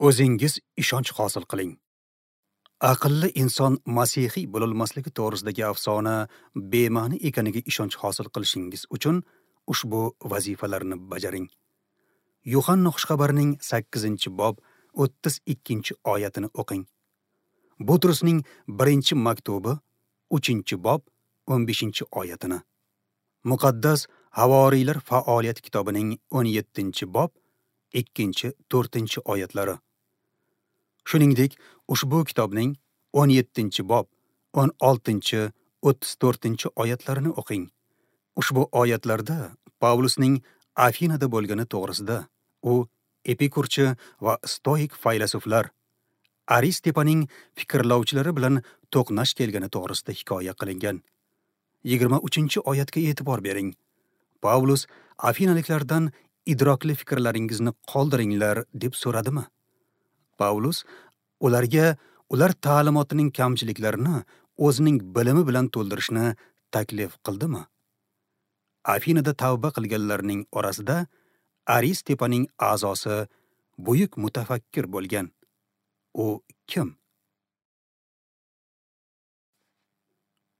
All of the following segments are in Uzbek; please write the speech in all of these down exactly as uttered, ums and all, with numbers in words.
O'zingiz ishonch hosil qiling. Aqlli inson masihiy bo'lolmasligi to'g'risidagi afsona bema'ni ekaniga ishonch hosil qilishingiz uchun ushbu vazifalarni bajaring. Yuhanna xushxabarining sakkizinchi bob o'ttiz ikkinchi oyatini o'qing. Butrusning birinchi maktubi uchinchi bob o'n beshinchi oyatini. Muqaddas Havoriylar faoliyat kitobining o'n yettinchi bob ikkinchi to'rtinchi oyatlari. Shuningdek, ushbu kitobning o'n yettinchi bob o'n oltinchi o'ttiz to'rtinchi oyatlarini o'qing. Ushbu oyatlarda Pavlusning Afinada bo'lgani to'g'risida u epikurchi va stoik faylasuflar Aristepaning fikrlovchilari bilan to'qnash kelgani to'g'risida hikoya qilingan. Yigirma uchinchi oyatga e'tibor bering. Pavlus afinaliklardan idrokli fikrlaringizni qoldiringlar deb so'radimi? Pavlus ularga ular ta'limotining kamchiliklarini o'zining bilimi bilan to'ldirishni taklif qildimi? Afinada tavba qilganlarning orasida Aristepaning a'zosi buyuk mutafakkir bo'lgan. U kim?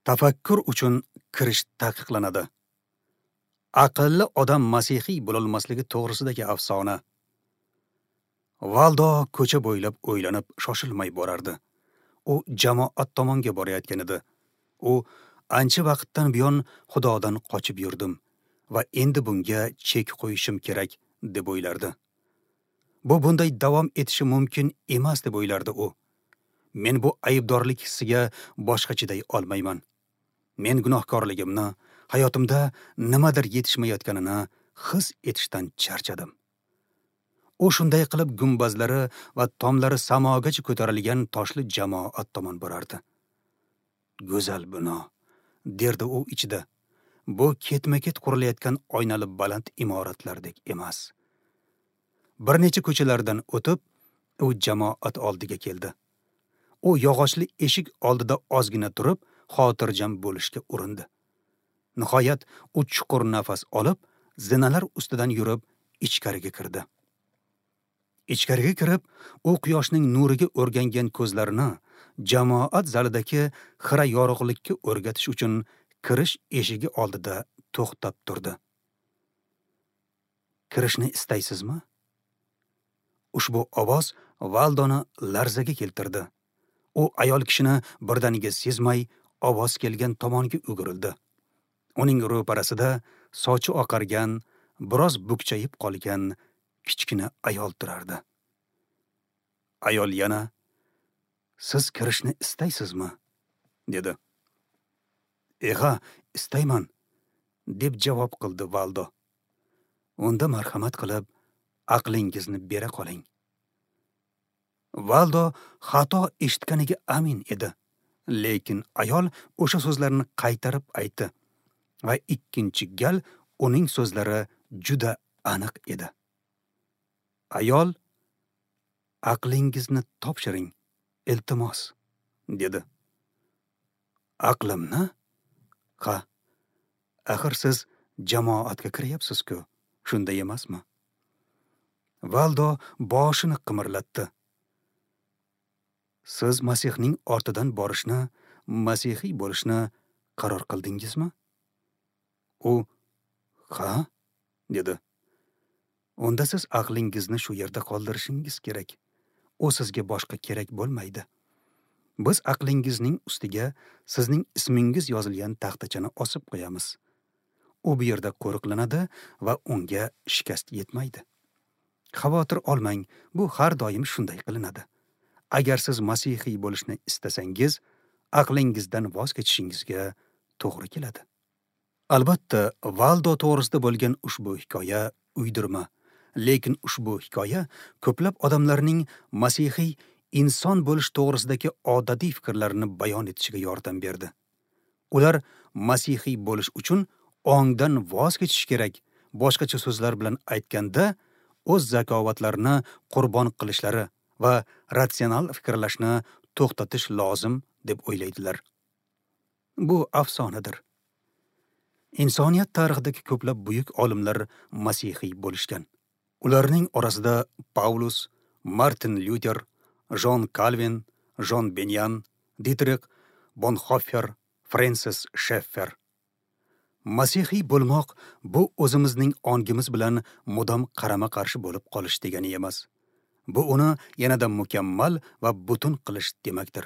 Tafakkur uchun kirish taqiqlanadi. Aqlli odam masihiy bo'lolmasligi to'g'risidagi afsona. Valdo ko'cha bo'ylab o'ylanib shoshilmay borardi. U jamoat tomonga borayotgan edi. U ancha vaqtdan buyon Xudodan qochib yurdim va endi bunga chek qo'yishim kerak deb o'ylardi. Bu bunday davom etishi mumkin emas deb o'ylardi u. Men bu aybdorlik hissiga boshqa chiday olmayman. Men gunohkorligimni, hayotimda nimadir yetishmayotganini his etishdan charchadim. U shunday qilib gumbazlari va tomlari samogacha ko'tarilgan toshli jamoat tomon borardi. Go'zal bino, derdi u ichida. Bu ketma-ket qurilayotgan oynali baland imoratlardek emas. Bir necha ko'chalardan o'tib, u jamoat oldiga keldi. U yog'ochli eshik oldida ozgina turib, xotirjam bo'lishga urindi. Nihoyat u chuqur nafas olib, zinalar ustidan yurib ichkariga kirdi. Ichkariga kirib, u quyoshning nuriga o'rgangan ko'zlarini jamoat zalidagi xira yorug'likka o'rgatish uchun kirish eshigi oldida to'xtab turdi. Kirishni istaysizmi? Ushbu ovoz Valdoni larzaga keltirdi. U ayol kishini birdaniga sezmay ovoz kelgan tomonga o'girildi. Uning ro'parasida sochi oqargan, biroz bukchayib qolgan kichkina ayol turardi. Ayol yana, "Siz kirishni istaysizmi?" dedi. "Eha, istayman," deb javob qildi Valdo. "Unda marhamat qilib aqlingizni bera qoling." Valdo xato eshitganiga amin edi, lekin ayol o'sha so'zlarni qaytarib aytdi va ikkinchi gal uning so'zlari juda aniq edi. Ayol, "Aqlingizni topshiring, iltimos," dedi. "Aqlimni? Ha, axir siz jamoatga kiryapsiz-ku, shunday emasmi?" Valdo boshini qimirlatdi. "Siz Masihning ortidan borishni, masihiy bo'lishni qaror qildingizmi?" U, "Ha," dedi. "Unda siz aqlingizni shu yerda qoldirishingiz kerak. U sizga boshqa kerak bo'lmaydi. Biz aqlingizning ustiga sizning ismingiz yozilgan taxtachani osib qo'yamiz. U bu yerda qo'riqlanadi va unga shikast yetmaydi. Xavotir olmang, bu har doim shunday qilinadi. Agar siz masihiy bo'lishni istasangiz, aqlingizdan voz kechishingizga to'g'ri keladi." Albatta, Valdo to'g'risida bo'lgan ushbu hikoya uydirma, lekin ushbu hikoya ko'plab odamlarning masihiy inson bo'lish to'g'risidagi odatiy fikrlarini bayon etishiga yordam berdi. Ular masihiy bo'lish uchun ongdan voz kechish kerak, boshqacha so'zlar bilan aytganda, o'z zakovatlarini qurbon qilishlari va ratsional fikrlashni to'xtatish lozim deb o'ylaydilar. Bu afsonadir. Insoniyat tarixidagi ko'plab buyuk olimlar masihiy bo'lishgan. Ularning orasida Pavlus, Martin Lyuter, Jon Kalvin, Jon Benyan, Ditrix Bonxoffer, Frensis Sheffer. Masihiy bo'lmoq bu o'zimizning ongimiz bilan mudom qarama-qarshi bo'lib qolish degani emas. Bu uni yanada mukammal va butun qilish demakdir.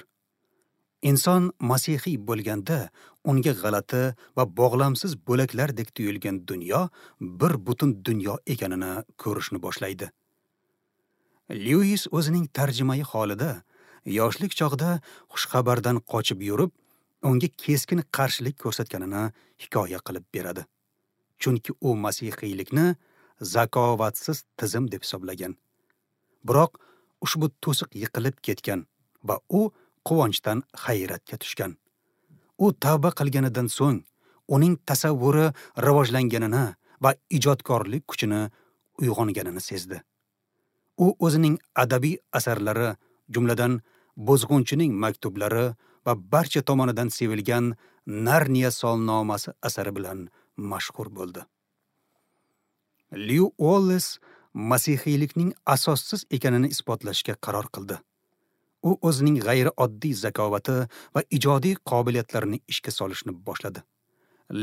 Inson masihiy bo'lganda unga g'alati va bog'lamsiz bo'laklardek tuyulgan dunyo bir butun dunyo ekanini ko'rishni boshlaydi. Lewis o'zining tarjimai holida yoshlik chog'ida xushxabardan qochib yurib, unga keskin qarshilik ko'rsatganini hikoya qilib beradi. Chunki u masihiylikni zakovatsiz tizim deb hisoblagan. Biroq ushbu to'siq yiqilib ketgan va u quvonchdan hayratga tushgan. U tavba qilganidan so'ng uning tasavvuri rivojlanganini va ijodkorlik kuchini uyg'onganini sezdi. U o'zining adabiy asarlari, jumladan Buzg'unchining maktublari va barcha tomonidan sevilgan Narniya solnomasi asari bilan mashhur bo'ldi. Lyu Uolles masihiylikning asossiz ekanini isbotlashga qaror qildi. U o'zining g'ayrioddiy zakovati va ijodiy qobiliyatlarini ishga solishni boshladi.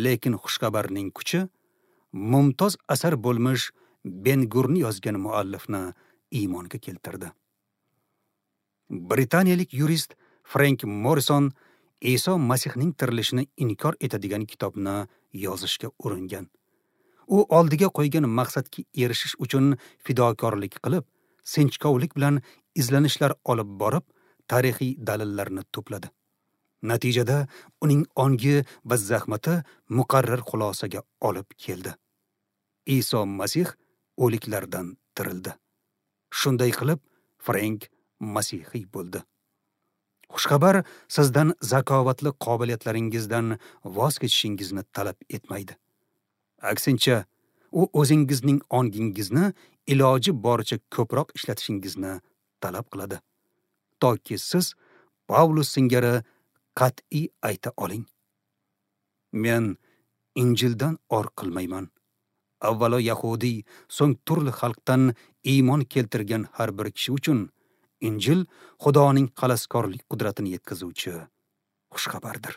Lekin xushxabarning kuchi mumtoz asar bo'lmish Ben-Gurni yozgan muallifni iymonga keltirdi. Britaniyalik yurist Frank Morrison Iso Masihning tirilishini inkor etadigan kitobni yozishga uringan. U oldiga qo'ygan maqsadga erishish uchun fidokorlik qilib, sinchkovlik bilan izlanishlar olib borib, tarixiy dalillarni to'pladi. Natijada uning ongi va zahmati muqarrar xulosaga olib keldi. Iso Masih o'liklardan tirildi. Shunday qilib, Frank masihiy bo'ldi. Xushxabar sizdan zakovatli qobiliyatlaringizdan voz kechishingizni talab etmaydi. Aksincha, u o'zingizning ongingizni iloji boricha ko'proq ishlatishingizni talab qiladi. Toki siz Pavlus singari qat'iy ayta oling: Men Injildan or qilmayman. Avvalo yahudiy, so'ng turli xalqdan iymon keltirgan har bir kishi uchun Injil Xudoning xaloskorlik qudratini yetkazuvchi xushxabardir.